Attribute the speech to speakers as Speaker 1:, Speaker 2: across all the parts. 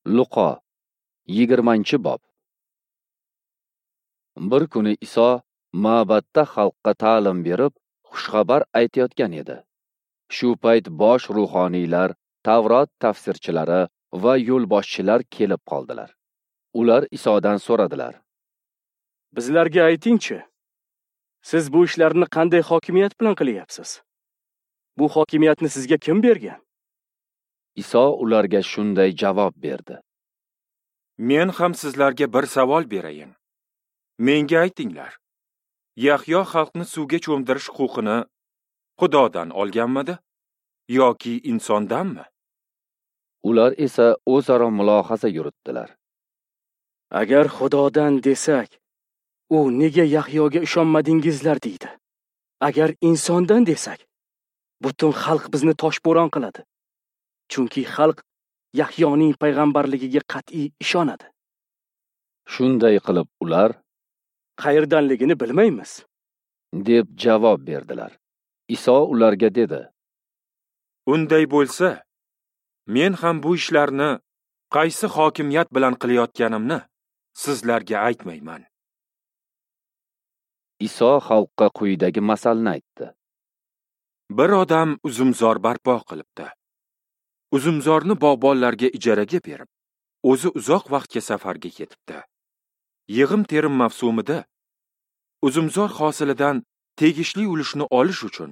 Speaker 1: Luqo 20-bob. Bir kuni Iso ma'batda xalqqa ta'lim berib, xushxabar aytayotgan edi. Shu payt bosh ruhoniylar, Tavrot tafsirchilari va yo'lboshchilar kelib qoldilar. Ular Isodan so'radilar:
Speaker 2: Bizlarga aytingchi, siz bu ishlarni qanday hokimiyat bilan qilyapsiz? Bu hokimiyatni sizga kim bergan?
Speaker 1: Iso ularga shunday javob berdi:
Speaker 3: Men ham sizlarga bir savol berayin. Menga aytinglar. Yahyo xalqni suvga cho'mdirish huquqini Xudodan olganmidi yoki insondanmi?
Speaker 1: Ular esa o'zaro mulohaza yuritdilar.
Speaker 2: Agar Xudodan desak, u nega Yahyoga ishonmadingizlar deydi. Agar insondan desak, butun xalq bizni toshbo'ron qiladi. Chunki xalq Yahyoning payg'ambarligiga qat'iy ishonadi.
Speaker 1: Shunday qilib ular
Speaker 2: qayerdanligini bilmaymiz,
Speaker 1: deb javob berdilar. Iso ularga dedi:
Speaker 3: Unday bo'lsa, men ham bu ishlarni qaysi hokimiyat bilan qilayotganimni sizlarga aytmayman.
Speaker 1: Iso xalqqa quyidagi masalni aytdi.
Speaker 3: Bir odam uzumzor barpo qilibdi. Uzumzorni bog'bonlarga ijaraga berib, o'zi uzoq vaqtga safarga ketibdi. Yig'im-terim mavsumida uzumzor hosilidan tegishli ulushni olish uchun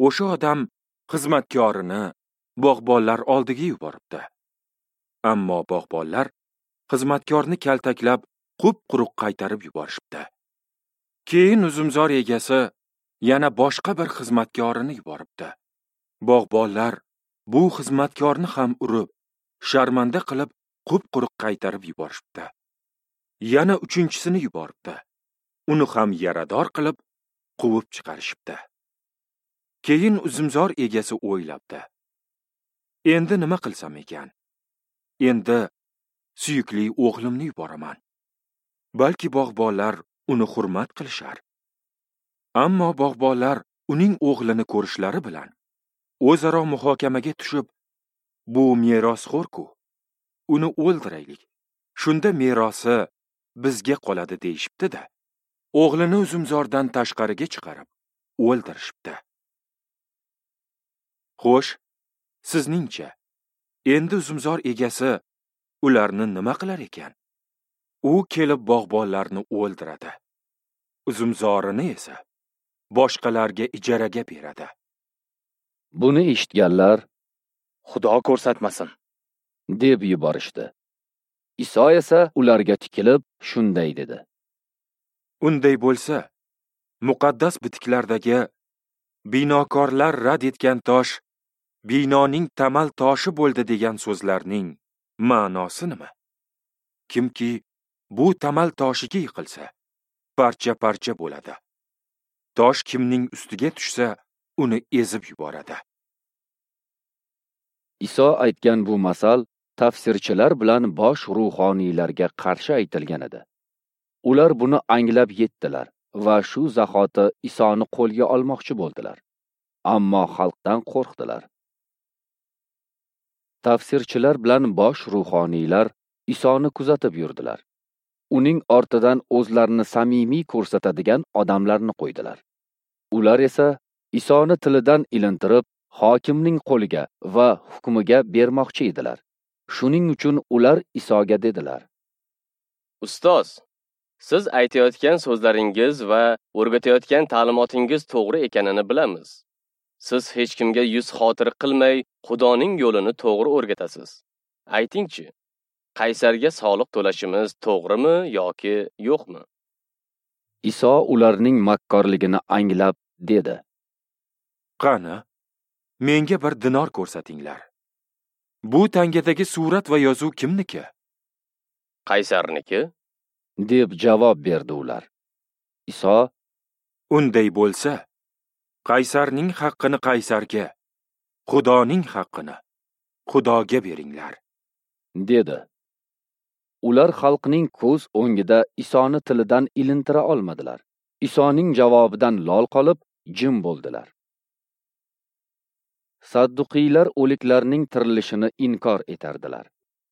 Speaker 3: o'sha odam xizmatkorini bog'bonlar oldiga yuboribdi. Ammo bog'bonlar xizmatkorni kaltaklab, qup-quruq qaytarib yuborishibdi. Keyin uzumzor egasi yana boshqa bir xizmatkorini yuboribdi. Bog'bonlar bu xizmatkorni ham urib, sharmanda qilib, qup-quruq qaytarib yuborishibdi. Yana uchinchisini yuboribdi. Uni ham yarador qilib, quvib chiqarishibdi. Keyin uzumzor egasi o'ylabdi: Endi nima qilsam ekan? Endi suyukli o'g'limni yuboraman. Balki bog'bonlar uni hurmat qilishar. Ammo bog'bonlar uning o'g'lini ko'rishlari bilan o'zaro muhokamaga tushib, bu merosxo'r-ku, uni o'ldiraylik. Shunda merosi bizga qoladi deyishibdi-da, o'g'lini uzumzordan tashqariga chiqarib, o'ldirishibdi. Xo'sh, sizningcha, endi uzumzor egasi ularni nima qilar ekan? U kelib bog'bonlarni o'ldiradi. Uzumzorini esa boshqalarga ijaraga beradi.
Speaker 1: Buni eshitganlar
Speaker 2: Xudo ko'rsatmasin,
Speaker 1: deb yuborishdi. Iso esa ularga tikilib shunday dedi:
Speaker 3: Unday bo'lsa, muqaddas bitiklardagi binokorlar rad etgan tosh binoning tamal toshi bo'ldi degan so'zlarning ma'nosi nima? Kimki bu tamal toshiga yiqilsa, parcha-parcha bo'ladi. Tosh kimning ustiga tushsa, uni ezib yuboradi.
Speaker 1: Iso aytgan bu masal tafsirchilar bilan bosh ruhoniylarga qarshi aytilgan edi. Ular buni anglab yetdilar va shu zahoti Isoni qo'lga olmoqchi bo'ldilar. Ammo xalqdan qo'rqdilar. Tafsirchilar bilan bosh ruhoniylar Isoni kuzatib yurdilar. Uning ortidan o'zlarini samimiy ko'rsatadigan odamlarni qo'ydilar. Ular esa Isoni tilidan ilintirib, hokimning qo'liga va hukmiga bermoqchi edilar. Shuning uchun ular Isoga dedilar:
Speaker 4: Ustoz, siz aytayotgan so'zlaringiz va o'rgatayotgan ta'limotingiz to'g'ri ekanini bilamiz. Siz hech kimga yuz xotir qilmay, Xudoning yo'lini to'g'ri o'rgatasiz. Aytingchi, qaysarga soliq to'lashimiz to'g'rimi yoki yo'qmi?
Speaker 1: Iso ularning makkorligini anglab dedi:
Speaker 3: Qani, menga bir dinor ko'rsatinglar. Bu tangadagi surat va yozuv kimniki?
Speaker 4: Qaysarniki,
Speaker 1: deb javob berdi ular. Iso:
Speaker 3: Unday bo'lsa, qaysarning haqqini qaysarga, Xudoning haqqini Xudoga beringlar,
Speaker 1: dedi. Ular xalqning ko'z o'ngida Isoni tilidan ilintira olmadilar. Isoning javobidan lol qolib, jim bo'ldilar. Sadduqiylar o'liklarning tirilishini inkor etardilar.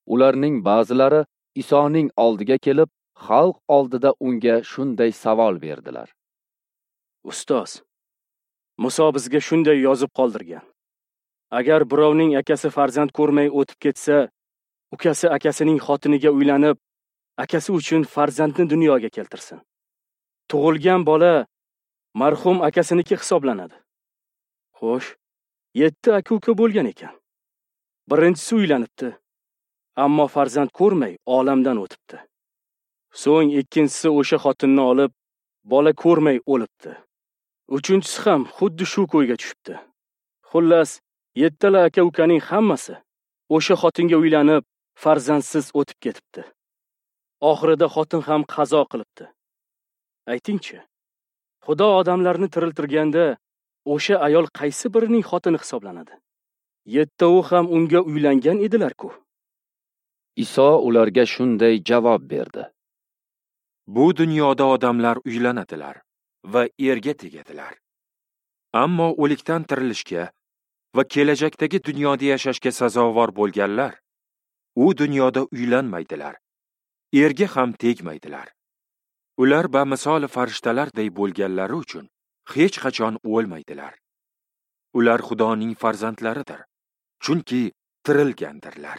Speaker 1: Ularning ba'zilari Isoning oldiga kelib, xalq oldida unga shunday savol berdilar:
Speaker 2: Ustoz, Muso bizga shunday yozib qoldirgan. Agar birovning akasi farzand ko'rmay o'tib ketsa, ukasi akasining xotiniga uylanib, akasi uchun farzandni dunyoga keltirsin. Tug'ilgan bola marhum akasiniki hisoblanadi. Xo'sh, 7 aka-uka bo'lgan ekan. Birinchisi uylanibdi, ammo farzand ko'rmay olamdan o'tibdi. So'ng ikkinchisi o'sha xotinni olib, bola ko'rmay o'libdi. Uchinchisi ham xuddi shu ko'yga tushibdi. Xullas, 7 aka-ukaning hammasi o'sha xotinga uylanib, farzandsiz o'tib ketibdi. Oxirida xotin ham qazo qilibdi. Aytingchi, Xudo odamlarni tiriltirganda o'sha ayol qaysi birining xotini hisoblanadi? 7 ham unga uylangan edilar-ku.
Speaker 1: Iso ularga shunday javob berdi:
Speaker 3: Bu dunyoda odamlar uylanadilar va erga tegadilar. Ammo o'likdan tirilishga va kelajakdagi dunyoda yashashga sazovor bo'lganlar u dunyoda uylanmaydilar, erga ham tegmaydilar. Ular bamisoli farishtalarday bo'lganlari uchun hech qachon o'lmaydilar. Ular Xudoning farzandlaridir, chunki tirilgandirlar.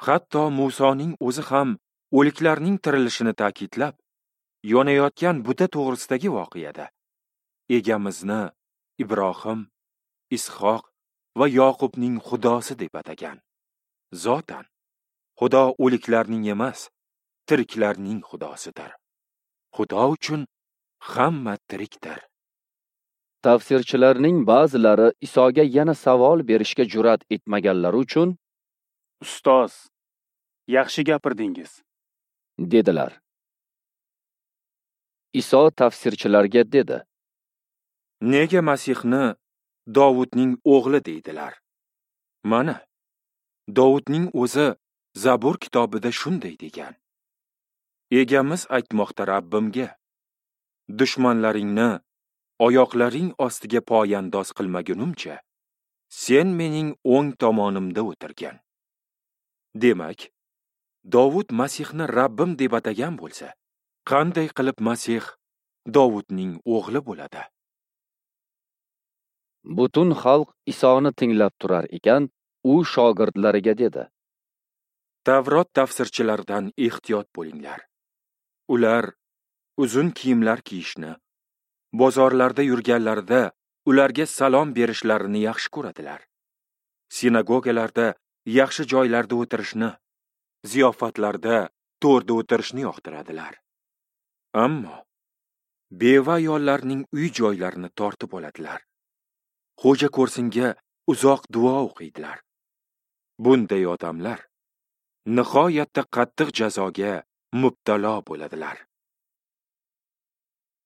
Speaker 3: Hatto Musoning o'zi ham o'liklarning tirilishini ta'kidlab, yonayotgan buta to'g'risidagi voqeada Egamizni Ibrohim, Ishoq va Yoqubning Xudosi deb atagan. Zotan, Xudo o'liklarning emas, tiriklarning Xudosidir. Xudo uchun hamma tirikdir.
Speaker 1: Tafsirchilarning ba'zilari Isoga yana savol berishga jur'at etmaganlari uchun:
Speaker 5: Ustoz, yaxshi gapirdingiz,
Speaker 1: dedilar. Iso tafsirchilarga dedi:
Speaker 3: Nega Masihni Dovudning o'g'li deydilar? Mana, Dovudning o'zi Zabur kitobida shunday degan: Egamiz aytmoqda Rabbimga: dushmanlaringni oyoqlaring ostiga poyandoz qilmagunimcha, sen mening o'ng tomonimda o'tirgin. Demak, Dovud Masihni Rabbim deb atagan bo'lsa, qanday qilib Masih Dovudning o'g'li bo'ladi?
Speaker 1: Butun xalq Isoni tinglab turar ekan, u shogirdlariga dedi:
Speaker 3: Tavrot tafsirchilaridan ehtiyot bo'linglar. Ular uzun kiyimlar kiyishni, bozorlarda yurganlarida ularga salom berishlarini yaxshi ko'radilar. Sinagogalarda yaxshi joylarda o'tirishni, ziyofatlarda to'rda o'tirishni yoqtiradilar. Ammo beva ayollarning uy joylarini tortib oladilar. Xo'ja ko'rsinga uzoq duo o'qiydilar. Bunday odamlar nihoyatda qattiq jazoga mubtalo bo'ladilar.